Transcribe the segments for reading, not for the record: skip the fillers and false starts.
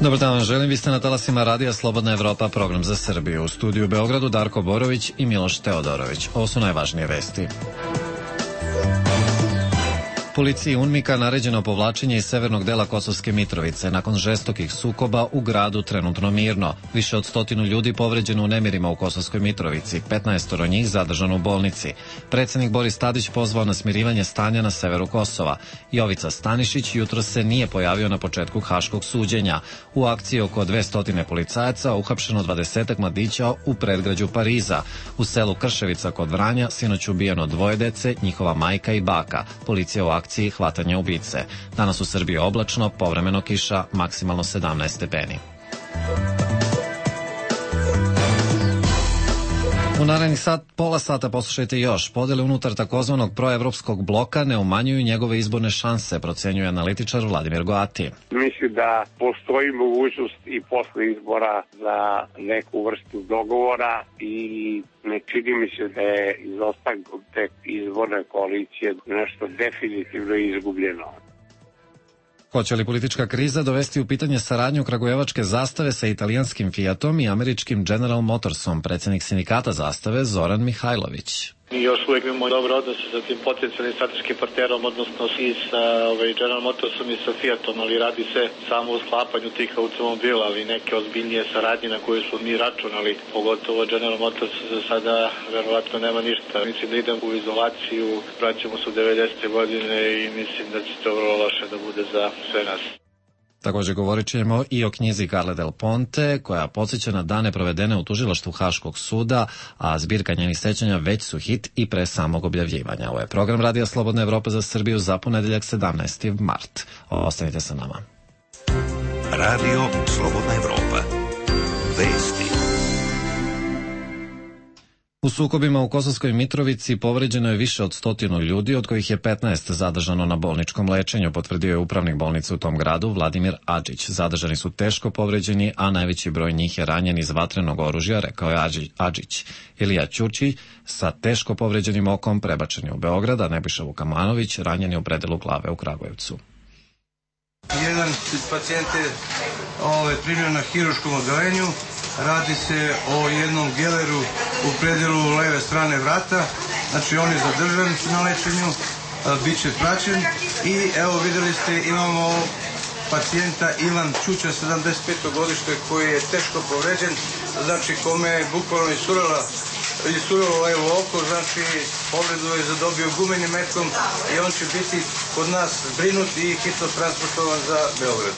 Dobar dan vam želim, vi ste na talasima Radija Slobodna Evropa, program za Srbiju. U studiju u Beogradu Darko Borović i Miloš Teodorović. Ovo su najvažnije vesti. Policiji UNMIK-a naređeno povlačenje iz severnog dela Kosovske Mitrovice. Nakon žestokih sukoba u gradu trenutno mirno. Više od 100 ljudi povređeno u nemirima u Kosovskoj Mitrovici, 15 njih zadržano u bolnici. Predsednik Boris Tadić pozvao na smirivanje stanja na severu Kosova. Jovica Stanišić jutro se nije pojavio na početku haškog suđenja. U akciji oko 200 policajaca uhapšeno 20 mladića u predgrađu Pariza. U selu Krševica kod Vranja sinoć ubijeno 2 dece, njihova majka i baka. Policija u akciji hvatanja ubice. Danas u Srbiji oblačno, povremeno kiša, maksimalno 17 stepeni. U narednih pola sata poslušajte još. Podele unutar takozvanog proevropskog bloka ne umanjuju njegove izborne šanse, procenjuje analitičar Vladimir Goati. Mislim da postoji mogućnost i posle izbora za neku vrstu dogovora i ne čini mi se da je izostanak te izborne koalicije nešto definitivno izgubljeno. Hoće li politička kriza dovesti u pitanje saradnju kragujevačke Zastave sa italijanskim Fiatom i američkim General Motorsom, predsednik sindikata Zastave Zoran Mihajlović? Mi još uvijek imamo dobre odnose sa tim potencijalnim strateškim partnerom, odnosno i sa General Motorsom i sa Fiatom, ali radi se samo o sklapanju tih automobila, ali neke ozbiljnije saradnje na koje su mi računali, pogotovo General Motors za sada verovatno nema ništa. Mislim da idem u izolaciju, vraćamo se u 90. godine i mislim da će to vrlo loše da bude za sve nas. Također govorit ćemo i o knjizi Carle Del Ponte, koja podsjeća na dane provedene u tužilaštvu Haškog suda, a zbirka njenih sećanja već su hit i pre samog objavljivanja. Ovo je program Radija Slobodna Evropa za Srbiju za ponedeljak 17. mart. Ostanite sa nama. Radio Slobodna Evropa. Vesti. U sukobima u Kosovskoj Mitrovici povređeno je više od 100 ljudi, od kojih je 15 zadržano na bolničkom lečenju, potvrdio je upravnik bolnice u tom gradu Vladimir Adžić. Zadržani su teško povređeni, a najveći broj njih je ranjen iz vatrenog oružja, rekao je Adžić. Ilija Ćurći sa teško povređenim okom prebačen je u Beograd, a Nebojša Vukamanović ranjen je u predelu glave u Kragujevcu. Jedan pacijent je primio na hiruškom odeljenju. Radi se o jednom geleru u predelu leve strane vrata. Znači on je zadržan na lečenju, bit će praćen. I evo videli ste, imamo pacijenta Ivan Ćuća, 75. godište, koji je teško povređen. Znači kome je bukvalno isurilo levo oko, znači povredu je zadobio gumenim metkom i on će biti kod nas zbrinut i hitno transportovan za Beograd.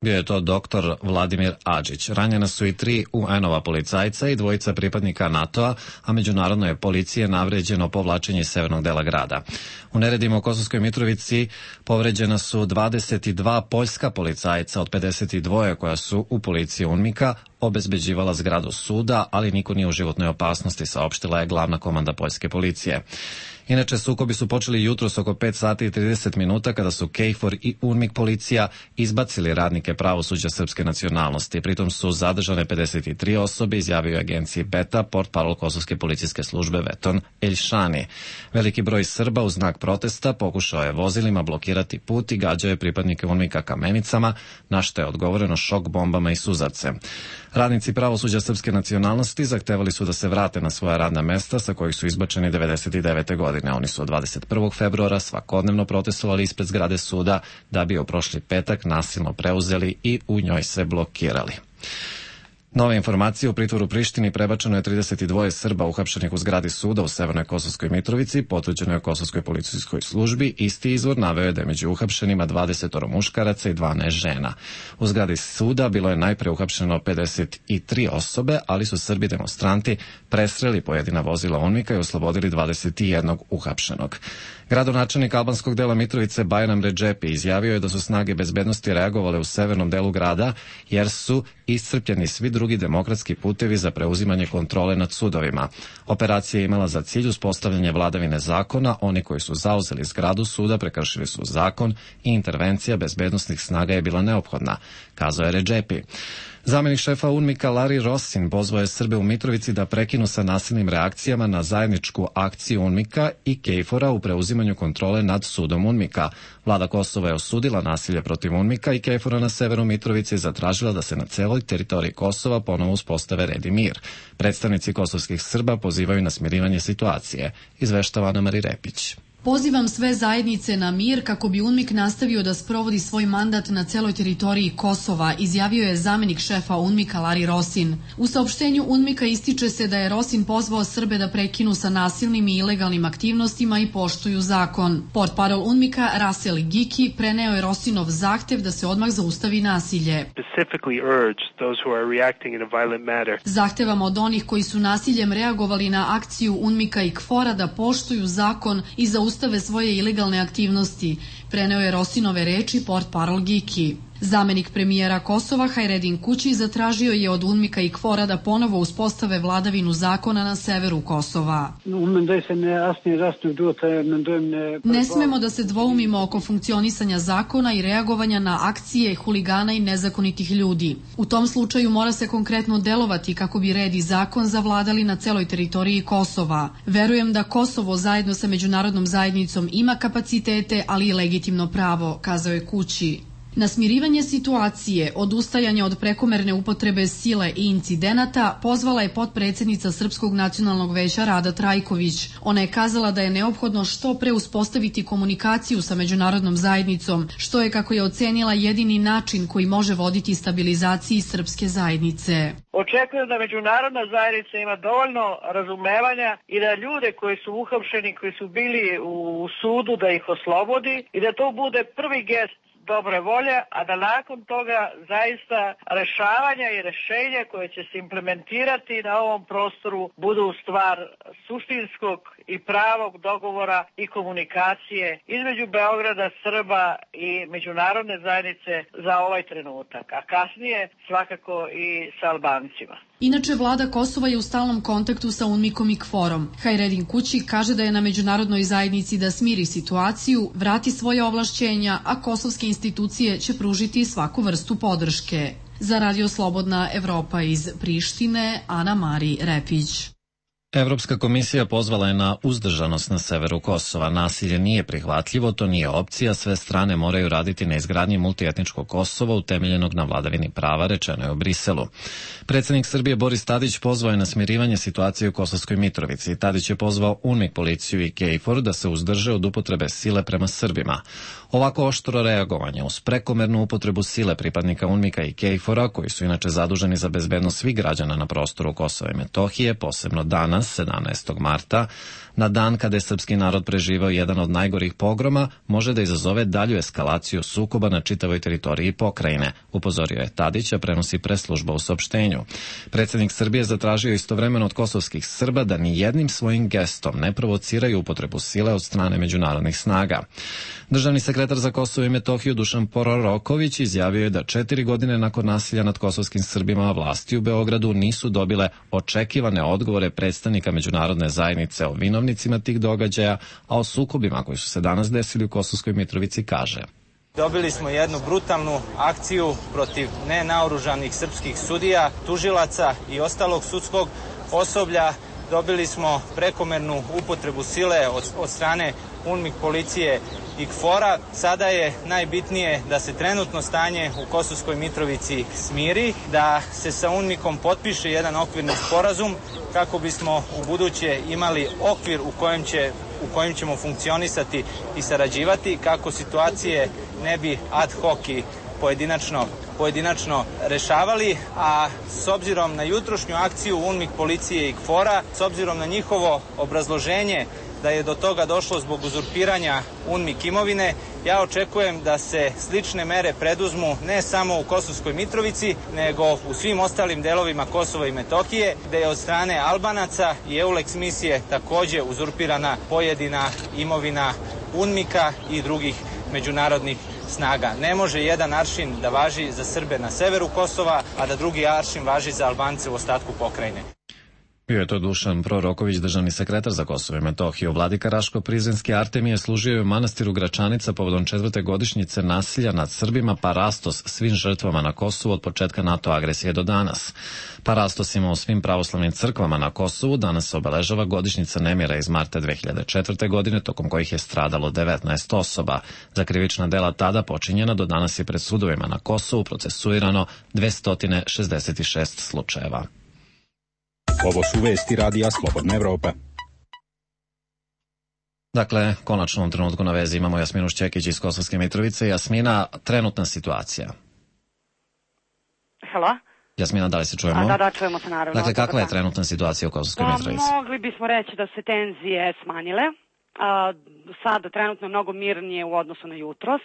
Bio je to doktor Vladimir Adžić. Ranjena su i 3 UN-ova policajca i 2 pripadnika NATO-a, a međunarodno je policije navređeno povlačenje iz severnog dela grada. U neredima u Kosovskoj Mitrovici povređena su 22 poljska policajca od 52 koja su u policiji UNMIK-a obezbeđivala zgradu suda, ali niko nije u životnoj opasnosti, saopštila je glavna komanda poljske policije. Inače, sukobi su počeli jutros oko 5 sati i 30 minuta kada su KFOR i UNMIK policija izbacili radnike pravosuđa srpske nacionalnosti. Pritom su zadržane 53 osobe, izjavio je agenciji Beta portparol Kosovske policijske službe Veton Eljšani. Veliki broj Srba u znak protesta pokušao je vozilima blokirati put i gađao je pripadnike UNMIK-a kamenicama, na što je odgovoreno šok bombama i suzavcem. Radnici pravosuđa srpske nacionalnosti zahtevali su da se vrate na svoja radna mesta sa kojih su izbačeni 99. godine. Oni su od 21. februara svakodnevno protestovali ispred zgrade suda da bi je prošli petak nasilno preuzeli i u njoj se blokirali. Nove informacije, u pritvoru Prištini prebačeno je 32 Srba uhapšenih u zgradi suda u Severnoj Kosovskoj Mitrovici, potvrđeno je Kosovskoj policijskoj službi. Isti izvor naveo je da je među uhapšenima 20 muškaraca i 12 žena. U zgradi suda bilo je najpre uhapšeno 53 osobe, ali su Srbi demonstranti presreli pojedina vozila UNMIK-a i oslobodili 21 uhapšenog. Gradonačelnik albanskog dela Mitrovice Bajram Redžepi izjavio je da su snage bezbednosti reagovale u severnom delu grada jer su iscrpljeni svi drugi demokratski putevi za preuzimanje kontrole nad sudovima. Operacija je imala za cilj uspostavljanje vladavine zakona, oni koji su zauzeli zgradu suda prekršili su zakon i intervencija bezbednosnih snaga je bila neophodna, kazao je Redžepi. Zamenik šefa UNMIK-a Larry Rosin pozvao je Srbe u Mitrovici da prekinu sa nasilnim reakcijama na zajedničku akciju UNMIK-a i KFOR-a u preuzimanju kontrole nad sudom UNMIK-a. Vlada Kosova je osudila nasilje protiv UNMIK-a i KFOR-a na severu Mitrovice i zatražila da se na celoj teritoriji Kosova ponovo uspostave red i mir. Predstavnici kosovskih Srba pozivaju na smirivanje situacije, izveštava Ana Mari Repić. Pozivam sve zajednice na mir kako bi UNMIK nastavio da sprovodi svoj mandat na celoj teritoriji Kosova, izjavio je zamenik šefa UNMIK-a Larry Rosin. U saopštenju UNMIK-a ističe se da je Rosin pozvao Srbe da prekinu sa nasilnim i ilegalnim aktivnostima i poštuju zakon. Portparol UNMIK-a Rasel Giki preneo je Rosinov zahtev da se odmah zaustavi nasilje. Zahtevam od onih koji su nasiljem reagovali na akciju UNMIK-a i KFOR-a da poštuju zakon i zaustave svoje ilegalne aktivnosti, preneo je Rosinove reči portparol Giki. Zamenik premijera Kosova Hajredin Kući zatražio je od UNMIK-a i KFOR-a da ponovo uspostave vladavinu zakona na severu Kosova. Ne smemo da se dvoumimo oko funkcionisanja zakona i reagovanja na akcije huligana i nezakonitih ljudi. U tom slučaju mora se konkretno delovati kako bi red i zakon zavladali na celoj teritoriji Kosova. Verujem da Kosovo zajedno sa međunarodnom zajednicom ima kapacitete, ali i legitimno pravo, kazao je Kući. Na smirivanje situacije, odustajanje od prekomerne upotrebe sile i incidenata pozvala je potpredsednica Srpskog nacionalnog veća Rada Trajković. Ona je kazala da je neophodno što pre uspostaviti komunikaciju sa međunarodnom zajednicom, što je, kako je ocenila, jedini način koji može voditi stabilizaciji srpske zajednice. Očekujem da međunarodna zajednica ima dovoljno razumevanja i da ljude koji su uhapšeni, koji su bili u sudu, da ih oslobodi i da to bude prvi gest dobre volje, a da nakon toga zaista rešavanja i rešenja koje će se implementirati na ovom prostoru budu stvar suštinskog i pravog dogovora i komunikacije između Beograda, Srba i međunarodne zajednice za ovaj trenutak, a kasnije svakako i sa Albancima. Inače, vlada Kosova je u stalnom kontaktu sa UNMIK-om i KFOR-om. Hajredin Kući kaže da je na međunarodnoj zajednici da smiri situaciju, vrati svoje ovlašćenja, a kosovske institucije će pružiti svaku vrstu podrške. Za Radio Slobodna Evropa iz Prištine, Ana Mari Repić. Evropska komisija pozvala je na uzdržanost na severu Kosova. Nasilje nije prihvatljivo, to nije opcija, sve strane moraju raditi na izgradnji multietničkog Kosova utemeljenog na vladavini prava, rečeno je u Briselu. Predsednik Srbije Boris Tadić pozvao je na smirivanje situacije u Kosovskoj Mitrovici. Tadić je pozvao UNMIK, policiju i KFOR da se uzdrže od upotrebe sile prema Srbima. Ovako oštro reagovanje uz prekomernu upotrebu sile pripadnika UNMIK-a i KFOR-a, koji su inače zaduženi za bezbednost svih građana na prostoru Kosova i Metohije, posebno danas, 17. marta, na dan kada je srpski narod preživao jedan od najgorih pogroma, može da izazove dalju eskalaciju sukoba na čitavoj teritoriji pokrajine, upozorio je Tadić, a prenosi preslužba u saopštenju. Predsednik Srbije zatražio istovremeno od kosovskih Srba da ni jednim svojim gestom ne provociraju upotrebu sile od strane međunarodnih snaga. Državni sekretar za Kosovo i Metohiju Dušan Proroković izjavio je da 4 godine nakon nasilja nad kosovskim Srbima vlasti u Beogradu nisu dobile očekivane odgovore predstavnika međunarodne zajednice o vinovnicima tih događaja, a o sukobima koji su se danas desili u Kosovskoj Mitrovici kaže: Dobili smo jednu brutalnu akciju protiv nenaoružanih srpskih sudija, tužilaca i ostalog sudskog osoblja. Dobili smo prekomernu upotrebu sile od strane UNMIK, policije i KFOR-a. Sada je najbitnije da se trenutno stanje u Kosovskoj Mitrovici smiri, da se sa UNMIK-om potpiše jedan okvirni sporazum kako bismo u buduće imali okvir u kojem ćemo funkcionisati i sarađivati, kako situacije ne bi ad hoc i pojedinačno rešavali, a s obzirom na jutrošnju akciju UNMIK, policije i KFOR-a, s obzirom na njihovo obrazloženje da je do toga došlo zbog uzurpiranja UNMIK imovine, ja očekujem da se slične mere preduzmu ne samo u Kosovskoj Mitrovici, nego u svim ostalim delovima Kosova i Metohije, gde je od strane Albanaca i EULEX misije takođe uzurpirana pojedina imovina UNMIK-a i drugih međunarodnih snaga. Ne može jedan aršin da važi za Srbe na severu Kosova, a da drugi aršin važi za Albance u ostatku pokrajine. Bio je to Dušan Proroković, državni sekretar za Kosovo i Metohiju. Vladika Raško Prizrenski Artemije služio je u manastiru Gračanica povodom 4. godišnjice nasilja nad Srbima Parastos svim žrtvama na Kosovu od početka NATO agresije do danas. Parastos ima u svim pravoslavnim crkvama na Kosovu. Danas se obeležava godišnjica nemira iz marta 2004. godine, tokom kojih je stradalo 19 osoba. Za krivična dela tada počinjena do danas je pred sudovima na Kosovu procesuirano 266 slučajeva. Ovo su vesti radija Slobodna Evropa. Dakle, konačno u ovom trenutku na vezi imamo Jasminu Šćekić iz Kosovske Mitrovice. Jasmina, trenutna situacija. Halo? Jasmina, da li se čujemo? Da, čujemo se naravno. Dakle, kakva je trenutna situacija u Kosovskoj Mitrovici? Mogli bismo reći da se tenzije smanjile. Sada trenutno je mnogo mirnije u odnosu na jutros.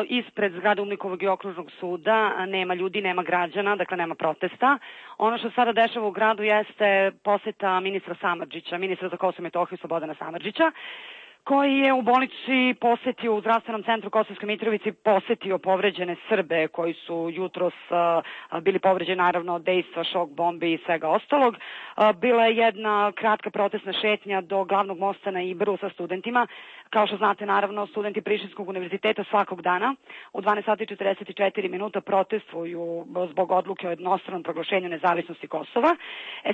Ispred zgrade Umnikovog i okružnog suda nema ljudi, nema građana, dakle nema protesta. Ono što sada dešava u gradu jeste poseta ministra Samardžića, ministra za Kosovo i Metohiju Slobodana Samardžića, koji je u bolnici posetio u zdravstvenom centru Kosovske Mitrovici, posetio povređene Srbe koji su jutros bili povređeni naravno od dejstva, šok bombi i svega ostalog. Bila je jedna kratka protestna šetnja do glavnog mosta na Ibru sa studentima. Kao što znate, naravno, studenti Prištinskog univerziteta svakog dana u 12:44 protestuju zbog odluke o jednostranom proglašenju nezavisnosti Kosova.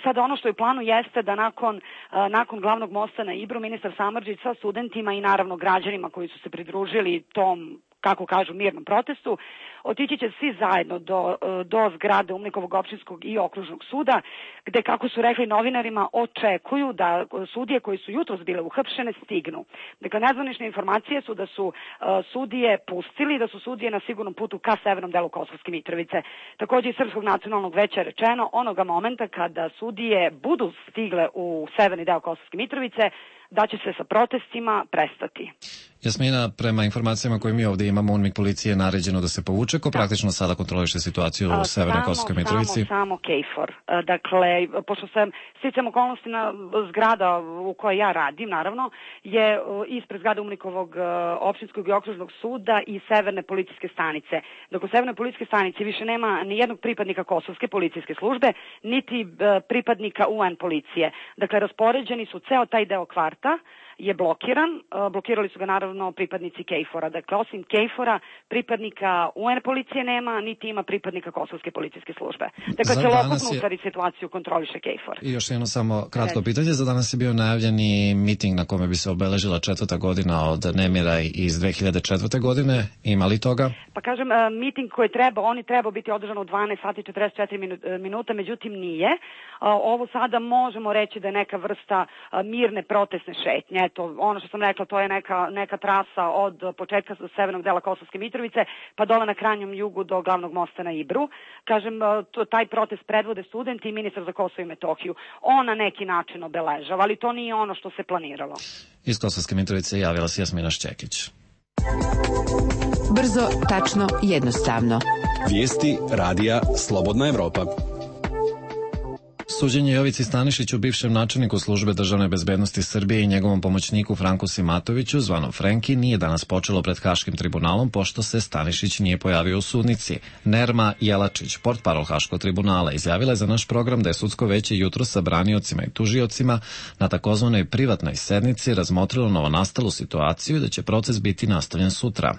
Sada ono što je u planu jeste da nakon glavnog mosta na Ibru ministar Samardžić sa studentima i naravno građanima koji su se pridružili tom, kako kažu, mirnom protestu, otići će svi zajedno do zgrade Umnikovog opštinskog i okružnog suda, gde, kako su rekli novinarima, očekuju da sudije koji su jutros bile uhapšene stignu. Dakle, nezvanične informacije su da su sudije pustili, da su sudije na sigurnom putu ka severnom delu Kosovske Mitrovice. Takođe iz Srpskog nacionalnog veća je rečeno, onoga momenta kada sudije budu stigle u severni deo Kosovske Mitrovice, da će se sa protestima prestati. Jasmina, prema informacijama koje mi ovdje imamo, UNMIK policije je naređeno da se povuče. Ko praktično sada kontroliše situaciju u Severnoj Kosovskoj Mitrovici? Samo KFOR. Dakle, pošto sam sticam okolnosti na zgrada u kojoj ja radim, naravno, je ispred zgrade Umnikovog opštinskog i okružnog suda i Severne policijske stanice. Dok u Severnoj policijske stanici više nema ni jednog pripadnika Kosovske policijske službe, niti pripadnika UN policije. Dakle, raspoređeni su, ceo taj deo kvarta je blokiran. Blokirali su ga naravno pripadnici KFOR-a. Dakle, osim KFOR-a, pripadnika UN policije nema, niti ima pripadnika Kosovske policijske službe. Dakle, celokupnu stvari situaciju kontroliše KFOR. I još jedno samo kratko pitanje. Za danas je bio najavljeni miting na kome bi se obeležila 4. godina od nemira iz 2004. godine. Ima li toga? Pa kažem, miting koji on je trebao biti održan u 12:44, međutim nije. Ovo sada možemo reći da je neka vrsta mirne protestne šetnje. Eto, ono što sam rekla, to je neka trasa od početka severnog dela Kosovske Mitrovice pa dole na krajnjem jugu do glavnog mosta na Ibru. Kažem, taj protest predvode studenti i ministar za Kosovo i Metohiju. On na neki način obeležava, ali to nije ono što se planiralo. Iz Kosovske Mitrovice javila se Jasmina Šćekić. Brzo, tačno, jednostavno. Vijesti radija Slobodna Evropa. Suđenje Jovici Stanišiću, bivšem načelniku službe državne bezbednosti Srbije i njegovom pomoćniku Franku Simatoviću, zvanom Frenki, nije danas počelo pred Haškim tribunalom, pošto se Stanišić nije pojavio u sudnici. Nerma Jelačić, portparol Haškog tribunala, izjavila je za naš program da je sudsko veće jutro sa braniocima i tužiocima na takozvanoj privatnoj sednici razmotrilo novonastalu situaciju i da će proces biti nastavljen sutra.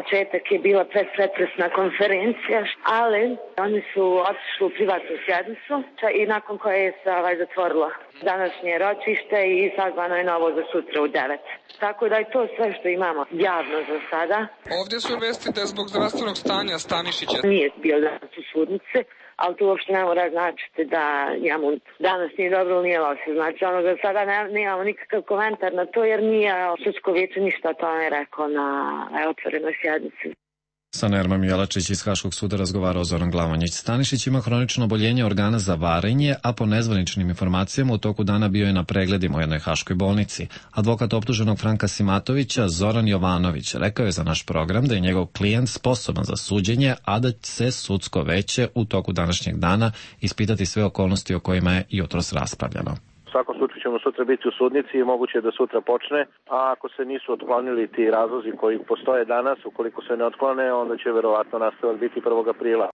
Početak je bila pretpresna konferencija, ali oni su otišli u privatnu sjednicu i nakon koje je se zatvorilo današnje ročište i sazvano je novo za sutra u 9. Tako da je to sve što imamo javno za sada. Ovdje su vesti da je zbog zdravstvenog stanja Stanišića nije bio danas u sudnici, ali to uopšte ne mora značiti da njemu danas nije dobro ili nije loše. Znači, za sada nemamo nikakav komentar na to, jer nije sudsko vijeće ništa o tome rekao na otvorenoj sjednici. Sa Nermom Jelačić iz Haškog suda razgovarao Zoran Glavonjić. Stanišić ima hronično oboljenje organa za varenje, a po nezvaničnim informacijama u toku dana bio je na pregledima u jednoj haškoj bolnici. Advokat optuženog Franka Simatovića, Zoran Jovanović, rekao je za naš program da je njegov klijent sposoban za suđenje, a da se sudsko veće u toku današnjeg dana ispitati sve okolnosti o kojima je jutros raspravljano. U svakom slučaju ćemo sutra biti u sudnici i moguće je da sutra počne, a ako se nisu otklonili ti razlozi koji postoje danas, ukoliko se ne otklone, onda će verovatno nastavak biti 1. aprila.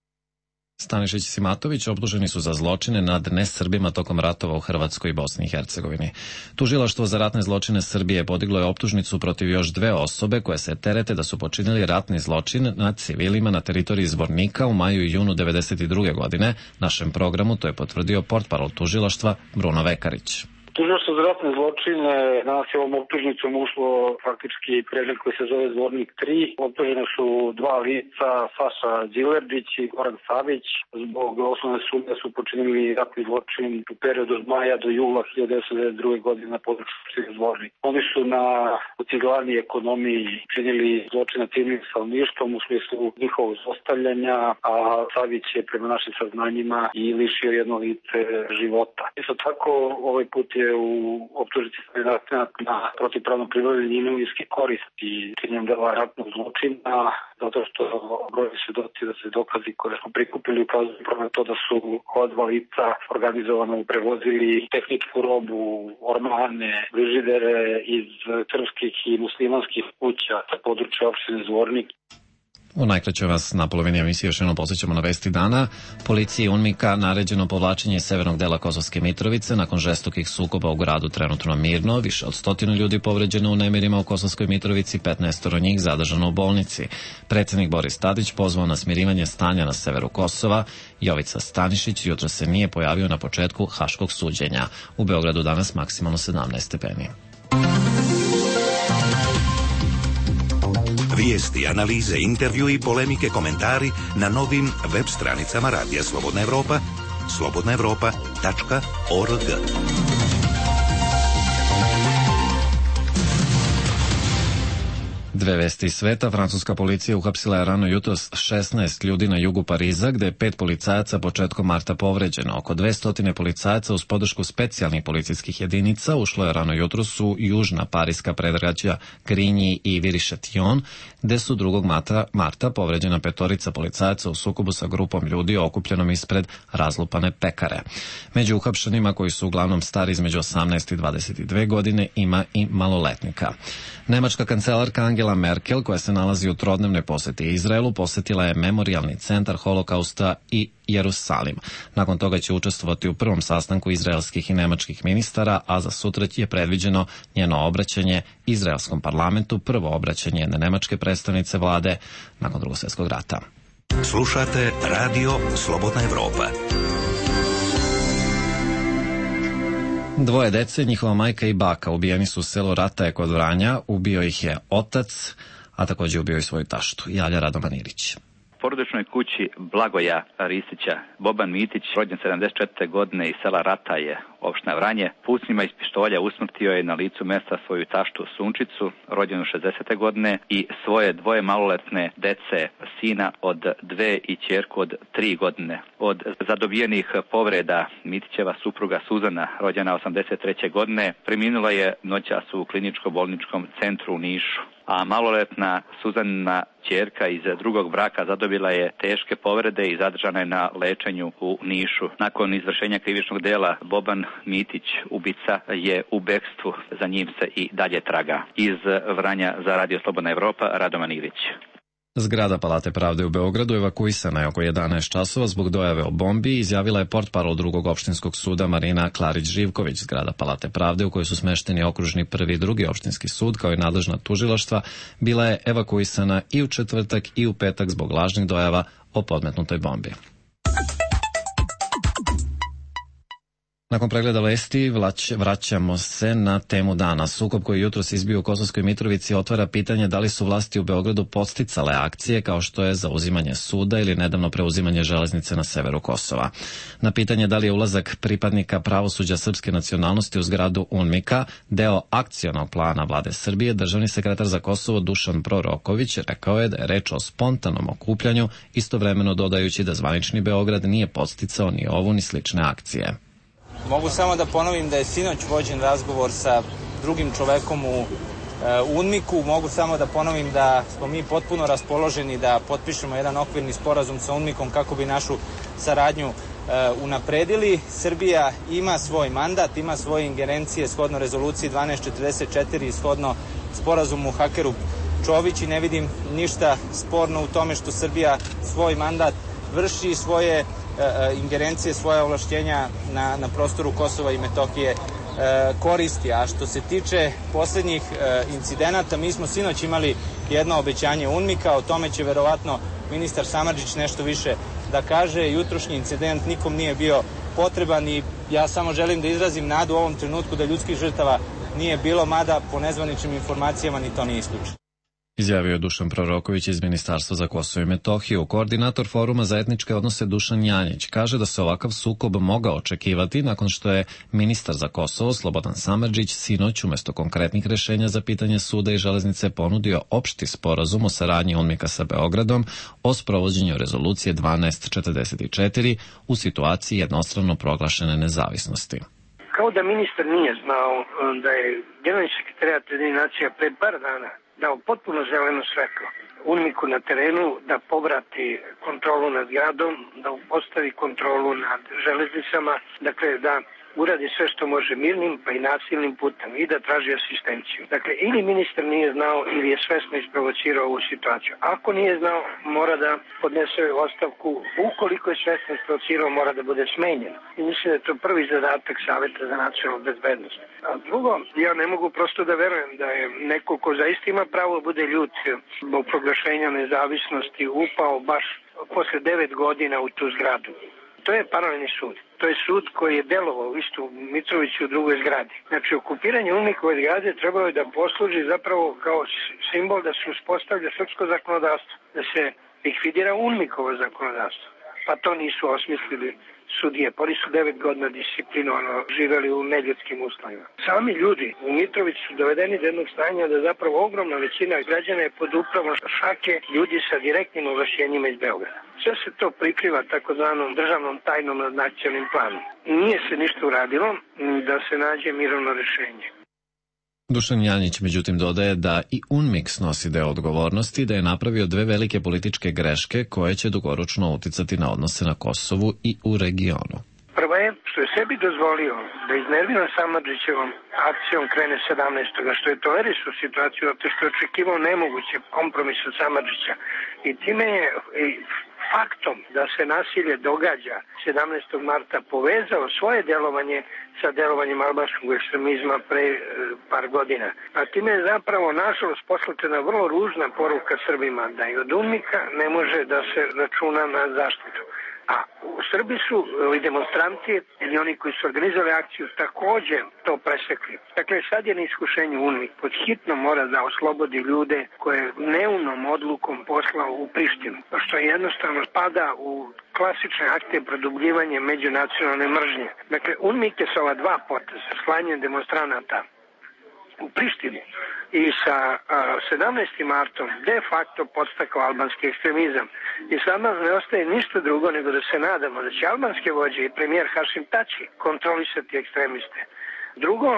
Stanišić i Simatović optuženi su za zločine nad nesrbima tokom ratova u Hrvatskoj i Bosni i Hercegovini. Tužilaštvo za ratne zločine Srbije podiglo je optužnicu protiv još 2 osobe koje se terete da su počinili ratni zločin nad civilima na teritoriji Zvornika u maju i junu 1992. godine. Našem programu to je potvrdio portparol tužilaštva Bruno Vekarić. Tužilaštvo za ratne zločine danas je ovom optužnicom ušlo faktički predmet koji se zove Zvornik 3. Optužene su 2 lica, Saša Đilerdić i Goran Savić. Zbog osnovne sumnje su počinili ratni zločin u periodu od maja do jula 1992. godine na području opštine Zvornik. Oni su na uciglani ekonomiji činili zločin nad civilnim stanovništvom u smislu njihovog zlostavljanja, a Savić je prema našim saznanjima i lišio jedno lice života. Isto tako, ovaj put je u optužnici na protivpravno pribavljanje imovinske koristi činjenjem dela ratnog zločina, zato što brojni svedoci da se dokazi koje smo prikupili ukazuju na to da su ova 2 lica organizovano prevozili tehničku robu, ormane, frižidere iz srpskih i muslimanskih kuća sa područja opštine Zvornik. U najkraćoj vas na polovini emisije još jednom posjećamo na vesti dana. Policiji UNMIK-a naređeno povlačenje iz severnog dela Kosovske Mitrovice nakon žestokih sukoba u gradu trenutno mirno. Više od 100 ljudi povređeno u nemirima u Kosovskoj Mitrovici, 15 njih zadržano u bolnici. Predsjednik Boris Tadić pozvao na smirivanje stanja na severu Kosova. Jovica Stanišić jutro se nije pojavio na početku haškog suđenja. U Beogradu danas maksimalno 17 stepeni. Vijesti, analize, intervju i polemike, komentari na novim web stranicama Radija Slobodna Evropa, slobodnaevropa.org. Dve vesti iz sveta. Francuska policija uhapsila je rano jutros 16 ljudi na jugu Pariza, gde je 5 policajaca početkom marta povređeno. Oko 200 policajaca uz podršku specijalnih policijskih jedinica ušlo je rano jutros u južna pariska predgrađa Grigny i Viry-Châtillon, gde su 2. marta povređena 5 policajaca u sukobu sa grupom ljudi okupljenom ispred razlupane pekare. Među uhapšenima, koji su uglavnom stari između 18 i 22 godine, ima i maloletnika. Nemačka kancelarka Angela Merkel, koja se nalazi u trodnevnoj poseti Izraelu, posetila je memorijalni centar Holokausta i Jerusalim. Nakon toga će učestvovati u prvom sastanku izraelskih i nemačkih ministara, a za sutra je predviđeno njeno obraćanje izraelskom parlamentu, prvo obraćanje jedne nemačke predstavnice vlade nakon Drugog svjetskog rata. Slušate Radio Slobodna Evropa. 2 dece, njihova majka i baka, ubijeni su u selu Rataje kod Vranja. Ubio ih je otac, a također ubio i svoju taštu. Javlja Radovan Ilić. Porodičnoj kući Blagoja Ristića Boban Mitić, rođen 74. godine iz sela Rataje, opština Vranje, pucnjima iz pištolja usmrtio je na licu mesta svoju taštu Sunčicu, rođenu 60. godine, i svoje 2 maloletne dece, sina od 2 i ćerku od 3 godine. Od zadobijenih povreda Mitićeva supruga Suzana, rođena 83. godine, preminula je noćas u kliničko-bolničkom centru u Nišu, a maloletna Suzanina ćerka iz drugog braka zadobila je teške povrede i zadržana je na lečenju u Nišu. Nakon izvršenja krivičnog dela, Boban Mitić, ubica, je u bekstvu, za njim se i dalje traga. Iz Vranja za Radio Slobodna Evropa, Radovan Ilić. Zgrada Palate pravde u Beogradu evakuisana je oko 11 časova zbog dojave o bombi, izjavila je portparol Drugog opštinskog suda Marina Klarić-Živković. Zgrada Palate pravde, u kojoj su smešteni okružni 1. i 2. opštinski sud kao i nadležna tužilaštva, bila je evakuisana i u četvrtak i u petak zbog lažnih dojava o podmetnutoj bombi. Nakon pregleda vesti vraćamo se na temu dana. Sukob koji jutros izbio u Kosovskoj Mitrovici otvara pitanje da li su vlasti u Beogradu podsticale akcije kao što je zauzimanje suda ili nedavno preuzimanje železnice na severu Kosova. Na pitanje da li je ulazak pripadnika pravosuđa srpske nacionalnosti u zgradu UNMIK-a deo akcionog plana vlade Srbije, državni sekretar za Kosovo Dušan Proroković rekao je da je reč o spontanom okupljanju, istovremeno dodajući da zvanični Beograd nije podsticao ni ovu ni slične akcije. Mogu samo da ponovim da je sinoć vođen razgovor sa drugim čovekom u UNMIK-u. Mogu samo da ponovim da smo mi potpuno raspoloženi da potpišemo jedan okvirni sporazum sa UNMIK-om kako bi našu saradnju unapredili. Srbija ima svoj mandat, ima svoje ingerencije shodno rezoluciji 1244 i shodno sporazumu Hakerup Čović i ne vidim ništa sporno u tome što Srbija svoj mandat vrši svoje ingerencije, svoje ovlašćenja na prostoru Kosova i Metohije koristi. A što se tiče poslednjih incidenata, mi smo sinoć imali jedno obećanje UNMIK-a, o tome će verovatno ministar Samardžić nešto više da kaže. Jutrošnji incident nikom nije bio potreban i ja samo želim da izrazim nadu u ovom trenutku da ljudskih žrtava nije bilo, mada po nezvaničnim informacijama ni to nije isključeno. Izjavio je Dušan Proroković iz Ministarstva za Kosovo i Metohiju. Koordinator Foruma za etničke odnose Dušan Janjić kaže da se ovakav sukob mogao očekivati nakon što je ministar za Kosovo Slobodan Samardžić sinoć umesto konkretnih rešenja za pitanje suda i železnice ponudio opšti sporazum o saradnji UNMIK-a sa Beogradom o sprovođenju rezolucije 1244 u situaciji jednostrano proglašene nezavisnosti. Kao da ministar nije znao da je Generalni sekretarijat Ujedinjenih nacija pre par dana dao potpuno zeleno svetlo UNMIK-u na terenu da povrati kontrolu nad gradom, da postavi kontrolu nad železnicama, dakle da uradi sve što može mirnim pa i nasilnim putem i da traži asistenciju. Dakle, ili ministar nije znao ili je svesno isprovocirao ovu situaciju. Ako nije znao, mora da podnese ostavku. Ukoliko je svesno isprovocirao, mora da bude smenjen. I mislim da je to prvi zadatak Saveta za nacionalnu bezbednost. A drugo, ja ne mogu prosto da verujem da je neko ko zaista ima pravo da bude ljut zbog proglašenja nezavisnosti upao baš posle 9 godina u tu zgradu. To je paralelni sud. To je sud koji je delovao isto u Mitroviću u drugoj zgradi. Znači, okupiranje UNMIK-ove zgrade trebalo je da posluži zapravo kao simbol da se uspostavlja srpsko zakonodavstvo, da se likvidira UNMIK-ovo zakonodavstvo. Pa to nisu osmislili sudije. Oni su 9 godina disciplinovano živeli u neljudskim uslovima. Sami ljudi u Mitroviću su dovedeni do jednog stanja da zapravo ogromna većina građana je pod upravom šake ljudi sa direktnim ovlašćenjima iz Beograda. Sve se to prikriva takozvanom državnom tajnom nad nacionalnim planom. Nije se ništa uradilo da se nađe mirovno rešenje. Dušan Janjić međutim dodaje da i UNMIK snosi deo odgovornosti da je napravio dve velike političke greške koje će dugoročno uticati na odnose na Kosovu i u regionu. Prva je što je sebi dozvolio da iznerviran Samardžićevom akcijom krene 17. što je tolerisao situaciju zato što je očekivao nemoguće kompromis od Samardžića i time je faktom da se nasilje događa 17. marta povezao svoje delovanje sa delovanjem albanskog ekstremizma pre par godina. A time je zapravo nažalost poslata vrlo ružna poruka Srbima da i od UNMIK-a ne može da se računa na zaštitu. A u Srbiji su demonstranti ili oni koji su organizovali akciju takođe to presekli. Dakle, sad je na iskušenju UNMIK. Pod hitno mora da oslobodi ljude koje neumnom odlukom poslao u Prištinu. Što jednostavno spada u klasične akte produbljivanja međunacionalne mržnje. Dakle, UNMIK je sa ova dva poteza, slanjem demonstranata u Prištini i sa 17. martom de facto podstakao albanski ekstremizam. I sada ne ostaje ništa drugo nego da se nadamo da će albanske vođe i premijer Hašim Tači kontrolisati ekstremiste. Drugo,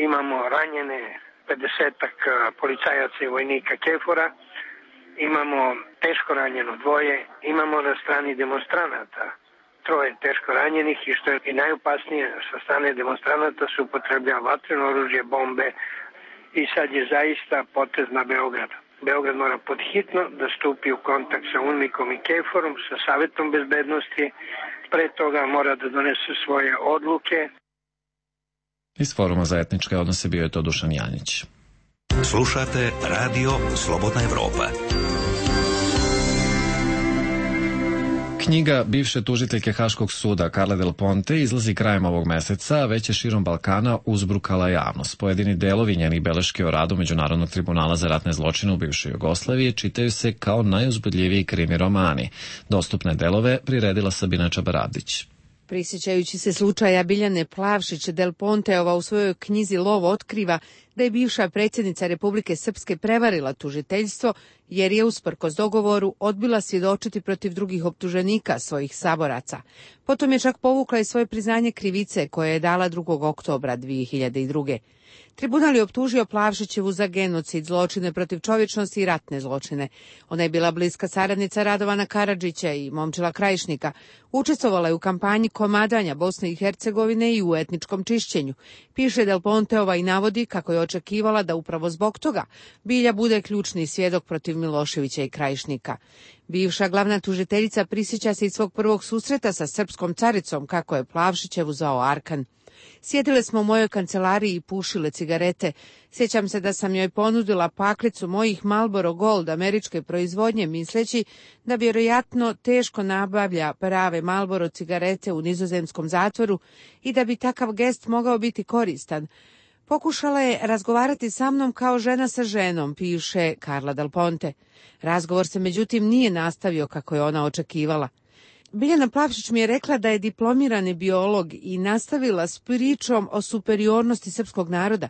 imamo ranjene 50-ak policajaca i vojnika KFOR-a, imamo teško ranjeno dvoje, imamo na strani demonstranata 3 teško ranjenih i što je i najopasnije sa strane demonstranata se upotrebljava vatreno oružje, bombe i sad je zaista potez na Beograd. Beograd mora podhitno da stupi u kontakt sa UNMIK-om i KFOR-om, sa Savetom bezbednosti, pre toga mora da donese svoje odluke. Iz Foruma za etničke odnose bio je to Dušan Janjić. Slušate Radio Slobodna Evropa. Knjiga bivše tužiteljke Haškog suda Carle Del Ponte izlazi krajem ovog meseca, a već je širom Balkana uzbrukala javnost. Pojedini delovi njenih beleške o radu Međunarodnog tribunala za ratne zločine u bivšoj Jugoslaviji čitaju se kao najuzbudljiviji krimi romani. Dostupne delove priredila Sabina Čabaradić. Prisjećajući se slučaja Biljane Plavšić, Del Ponteova u svojoj knjizi Lov otkriva da je bivša predsjednica Republike Srpske prevarila tužiteljstvo jer je usprkos dogovoru odbila svjedočiti protiv drugih optuženika svojih saboraca. Potom je čak povukla i svoje priznanje krivice koje je dala 2. oktobra 2002. Tribunal je optužio Plavšićevu za genocid, zločine protiv čovječnosti i ratne zločine. Ona je bila bliska saradnica Radovana Karadžića i Momčila Krajišnika. Učestvovala je u kampanji komadanja Bosne i Hercegovine i u etničkom čišćenju. Piše Del Ponteova i navodi kako je očekivala da upravo zbog toga Bilja bude ključni svjedok protiv Miloševića i Krajišnika. Bivša glavna tužiteljica prisjeća se i svog prvog susreta sa srpskom caricom, kako je Plavšićevu zvao Arkan. Sjedile smo u mojoj kancelariji i pušile cigarete. Sjećam se da sam joj ponudila paklicu mojih Marlboro Gold američke proizvodnje, misleći da vjerojatno teško nabavlja prave Marlboro cigarete u nizozemskom zatvoru i da bi takav gest mogao biti koristan. Pokušala je razgovarati sa mnom kao žena sa ženom, piše Carla Del Ponte. Razgovor se međutim nije nastavio kako je ona očekivala. Biljana Plavšić mi je rekla da je diplomirani biolog i nastavila s pričom o superiornosti srpskog naroda.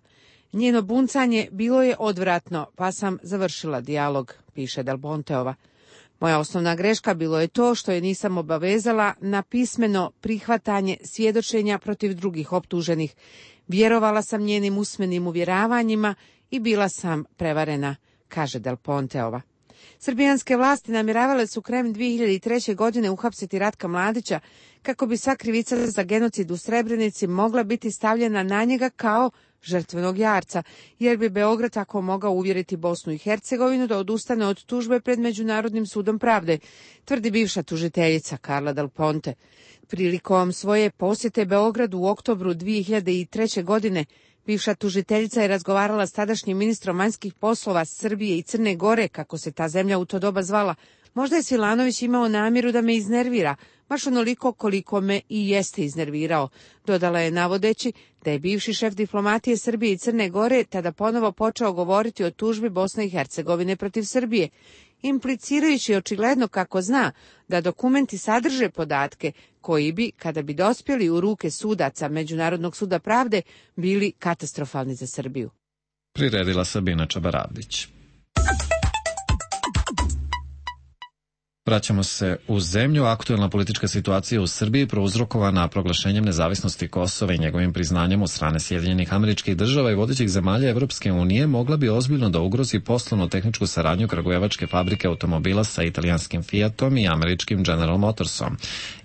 Njeno buncanje bilo je odvratno, pa sam završila dijalog, piše Del Ponteova. Moja osnovna greška bilo je to što je nisam obavezala na pismeno prihvatanje svjedočenja protiv drugih optuženih. Vjerovala sam njenim usmenim uvjeravanjima i bila sam prevarena, kaže Del Ponteova. Srbijanske vlasti namjeravale su krajem 2003. godine uhapsiti Ratka Mladića kako bi sva krivica za genocid u Srebrenici mogla biti stavljena na njega kao žrtvenog jarca, jer bi Beograd tako mogao uvjeriti Bosnu i Hercegovinu da odustane od tužbe pred Međunarodnim sudom pravde, tvrdi bivša tužiteljica Carla Del Ponte. Prilikom svoje posjete Beogradu u oktobru 2003. godine, bivša tužiteljica je razgovarala s tadašnjim ministrom vanjskih poslova Srbije i Crne Gore, kako se ta zemlja u to doba zvala. Možda je Svilanović imao namjeru da me iznervira, baš onoliko koliko me i jeste iznervirao, dodala je navodeći da je bivši šef diplomatije Srbije i Crne Gore tada ponovo počeo govoriti o tužbi Bosne i Hercegovine protiv Srbije, implicirajući očigledno kako zna da dokumenti sadrže podatke koji bi, kada bi dospjeli u ruke sudaca Međunarodnog suda pravde, bili katastrofalni za Srbiju. Priredila Sabina Čabaravdić. Vraćamo se u zemlju. Aktuelna politička situacija u Srbiji prouzrokovana proglašenjem nezavisnosti Kosova i njegovim priznanjem od strane Sjedinjenih Američkih Država i vodećih zemalja Evropske unije mogla bi ozbiljno da ugrozi poslovno-tehničku saradnju kragujevačke fabrike automobila sa italijanskim Fiatom i američkim General Motorsom.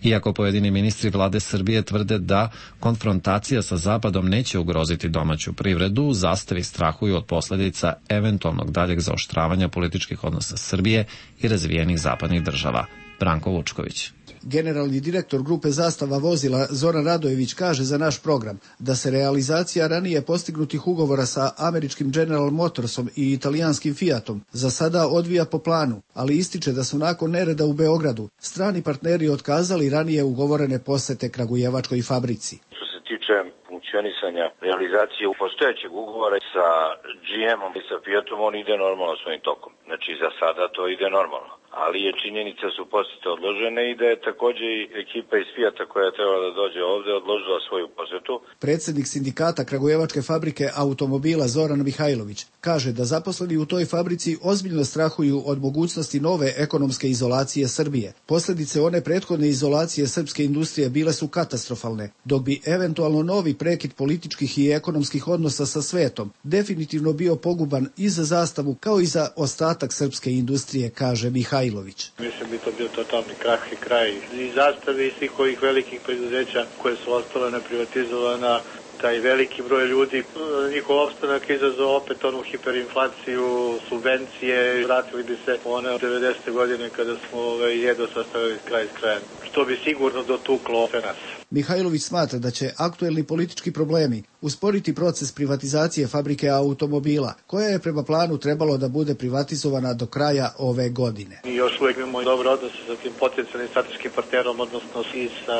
Iako pojedini ministri vlade Srbije tvrde da konfrontacija sa Zapadom neće ugroziti domaću privredu, Zastavi strahuju od posljedica eventualnog daljeg zaoštravanja političkih odnosa Srbije i razvijenih zapadnih država. Branko Vučković. Generalni direktor grupe Zastava vozila Zoran Radojević kaže za naš program da se realizacija ranije postignutih ugovora sa američkim General Motorsom i italijanskim Fiatom za sada odvija po planu, ali ističe da su nakon nereda u Beogradu strani partneri otkazali ranije ugovorene posete kragujevačkoj fabrici. Što se tiče funkcionisanja realizacije postojećeg ugovora sa GM-om i sa Fiatom, on ide normalno svojim tokom. Znači za sada to ide normalno. Ali je činjenica su posete odložene i da je također i ekipa iz Fijata koja je trebala da dođe ovde odložila svoju posetu. Predsjednik sindikata kragujevačke fabrike automobila Zoran Mihajlović kaže da zaposleni u toj fabrici ozbiljno strahuju od mogućnosti nove ekonomske izolacije Srbije. Posljedice one prethodne izolacije srpske industrije bile su katastrofalne, dok bi eventualno novi prekid političkih i ekonomskih odnosa sa svetom definitivno bio poguban i za Zastavu kao i za ostatak srpske industrije, kaže Mihajlović. Mislim bi to bio totalni krah i kraj i Zastave i svih ovih velikih preduzeća koje su ostale neprivatizovana, taj veliki broj ljudi, njihov opstanak izazvao opet onu hiperinflaciju, subvencije, vratili bi se one od 90. godine kada smo jedva sastavili kraj s krajem, što bi sigurno dotuklo sve nas. Mihajlović smatra da će aktuelni politički problemi usporiti proces privatizacije fabrike automobila, koja je prema planu trebalo da bude privatizovana do kraja ove godine. Mi još uvijek imamo dobre odnose sa tim potencijalnim strateškim partnerom, odnosno i sa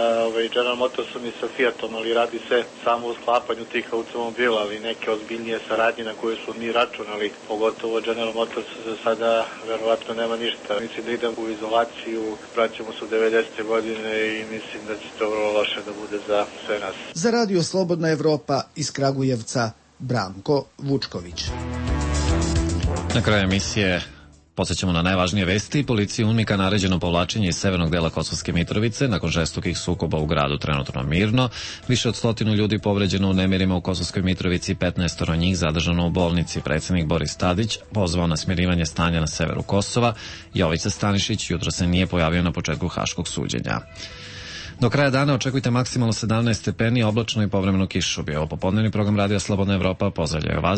General Motorsom i sa Fiatom, ali radi se samo o sklapanju tih automobila, ali neke ozbiljnije saradnje na koje su mi računali, pogotovo General Motors za sada verovatno nema ništa. Mislim da idem u izolaciju, vraćamo se u 90. godine i mislim da će to vrlo loše da bude za sve nas. Za Radio Slobodna Evropa iz Kragujevca, Branko Vučković. Na kraju emisije podsjećamo na najvažnije vesti. Policiji UNMIK-a naređeno povlačenje iz severnog dela Kosovske Mitrovice nakon žestokih sukoba u gradu trenutno mirno. Više od 100 ljudi povređeno u nemirima u Kosovskoj Mitrovici, 15 njih zadržano u bolnici. Predsjednik Boris Tadić pozvao na smirivanje stanja na severu Kosova. Jovica Stanišić jutro se nije pojavio na početku haškog suđenja. Do kraja dana očekujte maksimalno 17 stepeni, oblačno i povremeno kišu. Bio popodnevni program Radija Slobodna Evropa. Pozdravljaju vas